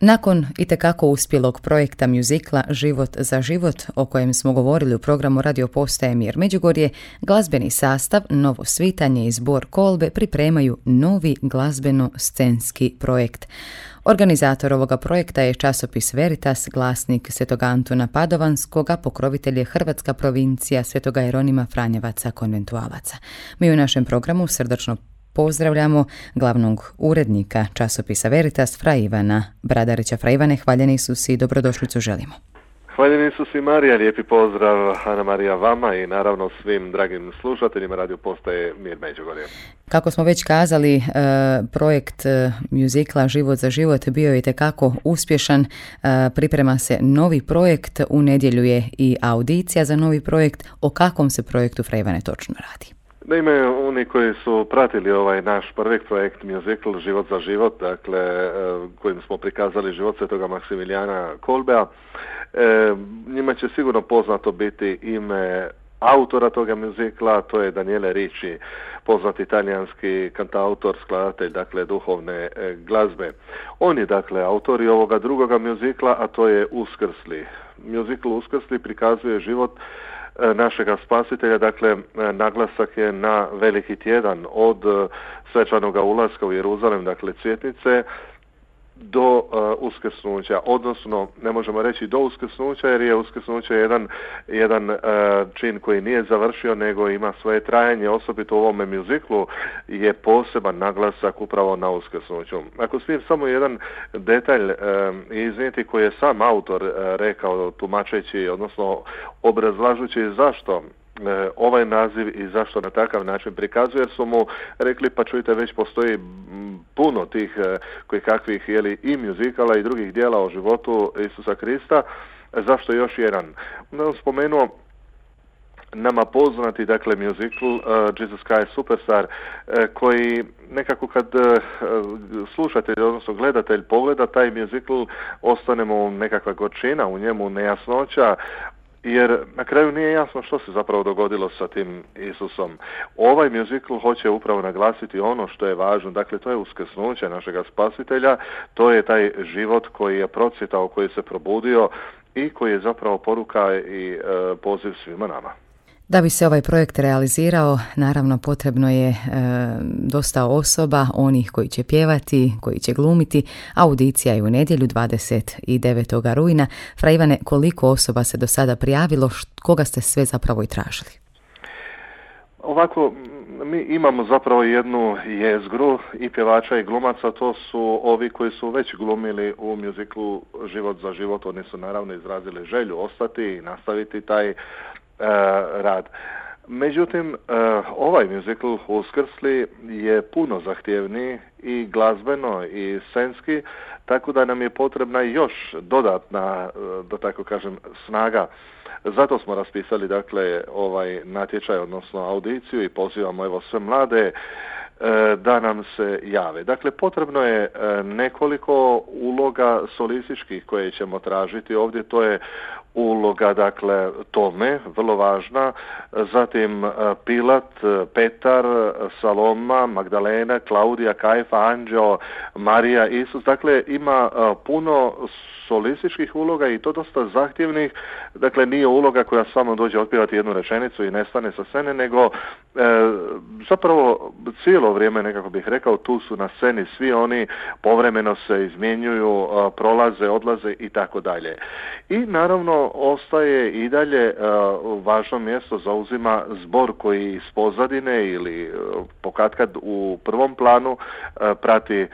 Nakon itekako uspjelog projekta mjuzikla Život za život, o kojem smo govorili u programu Radio Postaje Mir Međugorje, glazbeni sastav, Novo svitanje i zbor Kolbe pripremaju novi glazbeno-scenski projekt. Organizator ovoga projekta je časopis Veritas, glasnik Svetog Antuna Padovanskog, a pokrovitelj je Hrvatska provincija Svetoga Jeronima Franjevaca konventualaca. Mi u našem programu srdačno pozdravljamo glavnog urednika časopisa Veritas, Fra Ivana Bradarića. Fra Ivane, hvaljeni Isus i dobrodošlicu želimo. Hvaljeni Isus i Marija, lijepi pozdrav Ana Marija vama i naravno svim dragim slušateljima Radio Postaje Mir Međugorje. Kako smo već kazali, projekt mjuzikla Život za život bio je itekako uspješan. Priprema se novi projekt, u nedjelju je i audicija za novi projekt. O kakvom se projektu, Fra Ivane, točno radi? Naime, oni koji su pratili ovaj naš prvi projekt Musical Život za život, dakle, kojim smo prikazali život Svetoga Maksimilijana Kolbea, njima će sigurno poznato biti ime autora toga muzikla, to je Daniele Ricci, poznati talijanski kantautor, skladatelj, dakle, duhovne glazbe. On je, dakle, autor i ovoga drugoga muzikla, a to je Uskrsli. Muzikl Uskrsli prikazuje život našega spasitelja, dakle, naglasak je na veliki tjedan od svečanoga ulaska u Jeruzalem, dakle, cvjetnice, do uskrsnuća, odnosno ne možemo reći do uskrsnuća, jer je uskrsnuće jedan čin koji nije završio, nego ima svoje trajanje, osobito u ovome mjuziklu je poseban naglasak upravo na uskrsnuću. Ako smijem samo jedan detalj iznijeti koji je sam autor rekao, tumačeći, odnosno obrazlažući zašto ovaj naziv i zašto na takav način prikazuje, jer su mu rekli, pa čujte, već postoji puno tih koji kakvih i mjuzikala i drugih dijela o životu Isusa Krista, zašto još jedan? On spomenuo nama poznati, dakle, mjuzikl Jesus Christ Superstar, koji nekako kad slušatelj, odnosno gledatelj pogleda taj mjuzikl, ostane mu nekakva gorčina, u njemu nejasnoća, jer na kraju nije jasno što se zapravo dogodilo sa tim Isusom. Ovaj mjuzikl hoće upravo naglasiti ono što je važno, dakle, to je uskrsnuće našega spasitelja, to je taj život koji je procvjetao, koji se probudio i koji je zapravo poruka i poziv svima nama. Da bi se ovaj projekt realizirao, naravno potrebno je dosta osoba, onih koji će pjevati, koji će glumiti. Audicija je u nedjelju 29. rujna. Fra Ivane, koliko osoba se do sada prijavilo, koga ste sve zapravo i tražili? Ovako, mi imamo zapravo jednu jezgru i pjevača i glumaca, to su ovi koji su već glumili u mjuziklu Život za život. Oni su naravno izrazili želju ostati i nastaviti taj rad. Međutim, ovaj mjuzikl Uskrsli je puno zahtjevniji i glazbeno i scenski, tako da nam je potrebna još dodatna, da tako kažem, snaga. Zato smo raspisali, dakle, ovaj natječaj, odnosno audiciju, i pozivamo evo sve mlade da nam se jave. Dakle, potrebno je nekoliko uloga solističkih koje ćemo tražiti ovdje. To je uloga, dakle, Tome, vrlo važna, zatim Pilat, Petar, Saloma, Magdalena, Klaudija, Kajfa, Anđeo, Marija, Isus. Dakle, ima puno solističkih uloga i to dosta zahtjevnih. Dakle, nije uloga koja samo dođe otpjevati jednu rečenicu i nestane sa scene, nego zapravo cijelo vrijeme, nekako bih rekao, tu su na sceni svi oni, povremeno se izmjenjuju, prolaze, odlaze i tako dalje. I naravno ostaje i dalje važno mjesto zauzima zbor koji iz pozadine ili pokatkad u prvom planu prati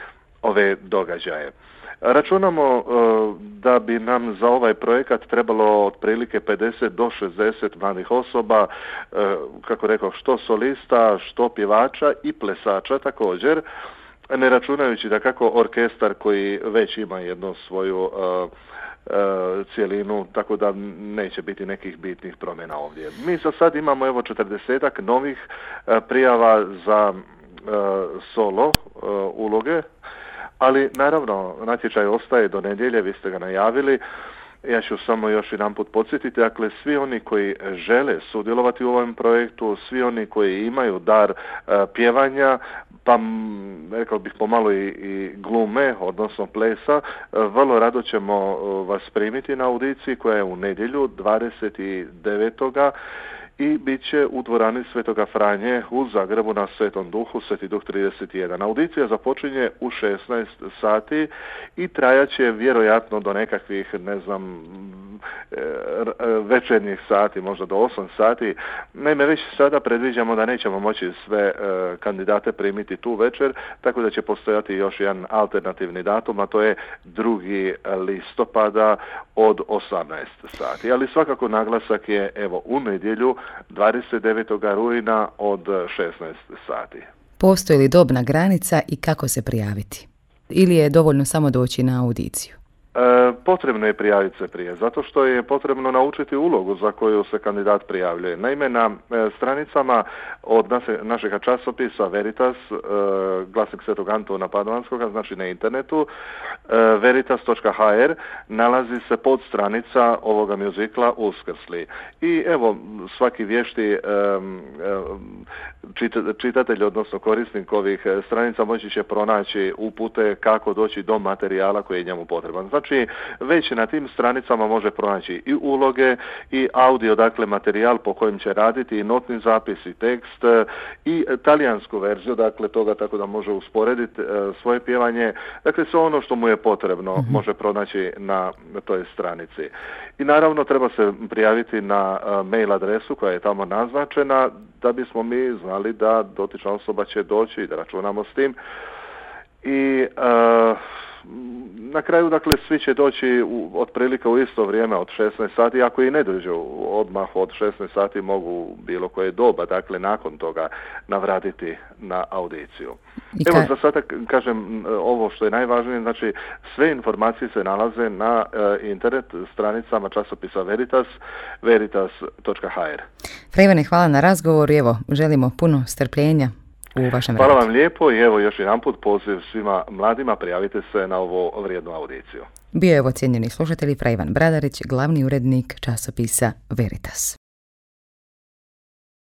ove događaje. Računamo da bi nam za ovaj projekat trebalo otprilike 50 do 60 mladih osoba, kako rekao, što solista, što pjevača i plesača također, ne računajući da kako orkestar koji već ima jednu svoju cijelinu, tako da neće biti nekih bitnih promjena ovdje. Mi za sad imamo evo 40-ak novih prijava za solo uloge, ali naravno natječaj ostaje do nedjelje, vi ste ga najavili. Ja ću samo još jedanput podsjetiti, dakle, svi oni koji žele sudjelovati u ovom projektu, svi oni koji imaju dar pjevanja, pa rekao bih pomalo i glume, odnosno plesa. Vrlo rado ćemo vas primiti na audiciji koja je u nedjelju 29. i bit će u dvorani Svetoga Franje u Zagrebu na Svetom Duhu, Sveti Duh 31. Audicija započinje u 16 sati i trajaće vjerojatno do nekakvih, večernjih sati, možda do 8 sati. Naime, već sada predviđamo da nećemo moći sve kandidate primiti tu večer, tako da će postojati još jedan alternativni datum, a to je 2. listopada od 18 sati. Ali svakako naglasak je u nedjelju 29. rujna od 16 sati. Postoji li dobna granica i kako se prijaviti? Ili je dovoljno samo doći na audiciju? Potrebno je prijaviti se prije, zato što je potrebno naučiti ulogu za koju se kandidat prijavljuje. Naime, na stranicama od našeg časopisa Veritas, Glasnik Svetog Antuna Padovanskoga, znači na internetu, veritas.hr, nalazi se podstranica ovoga mjuzikla Uskrsli. I svaki vješti čitatelj, odnosno korisnik ovih stranica, moći će pronaći upute kako doći do materijala koji je njemu potreban. Znači, već na tim stranicama može pronaći i uloge i audio, dakle materijal po kojem će raditi, i notni zapis, i tekst, i talijansku verziju, dakle toga, tako da može usporediti svoje pjevanje. Dakle, sve ono što mu je potrebno može pronaći na toj stranici. I naravno treba se prijaviti na mail adresu koja je tamo naznačena, da bismo mi znali da dotična osoba će doći i da računamo s tim. I na kraju, dakle, svi će doći otprilike u isto vrijeme od 16 sati, ako i ne dođu odmah od 16 sati, mogu bilo koje doba, dakle, nakon toga navratiti na audiciju. Za sada kažem ovo što je najvažnije, znači sve informacije se nalaze na internet stranicama časopisa Veritas, veritas.hr. Fra Ivane, hvala na razgovoru, želimo puno strpljenja u vašem radu. Hvala vam lijepo i još jedanput poziv svima mladima, prijavite se na ovo vrijednu audiciju. Bio je cijenjeni slušatelj Fra Ivan Bradarić, glavni urednik časopisa Veritas.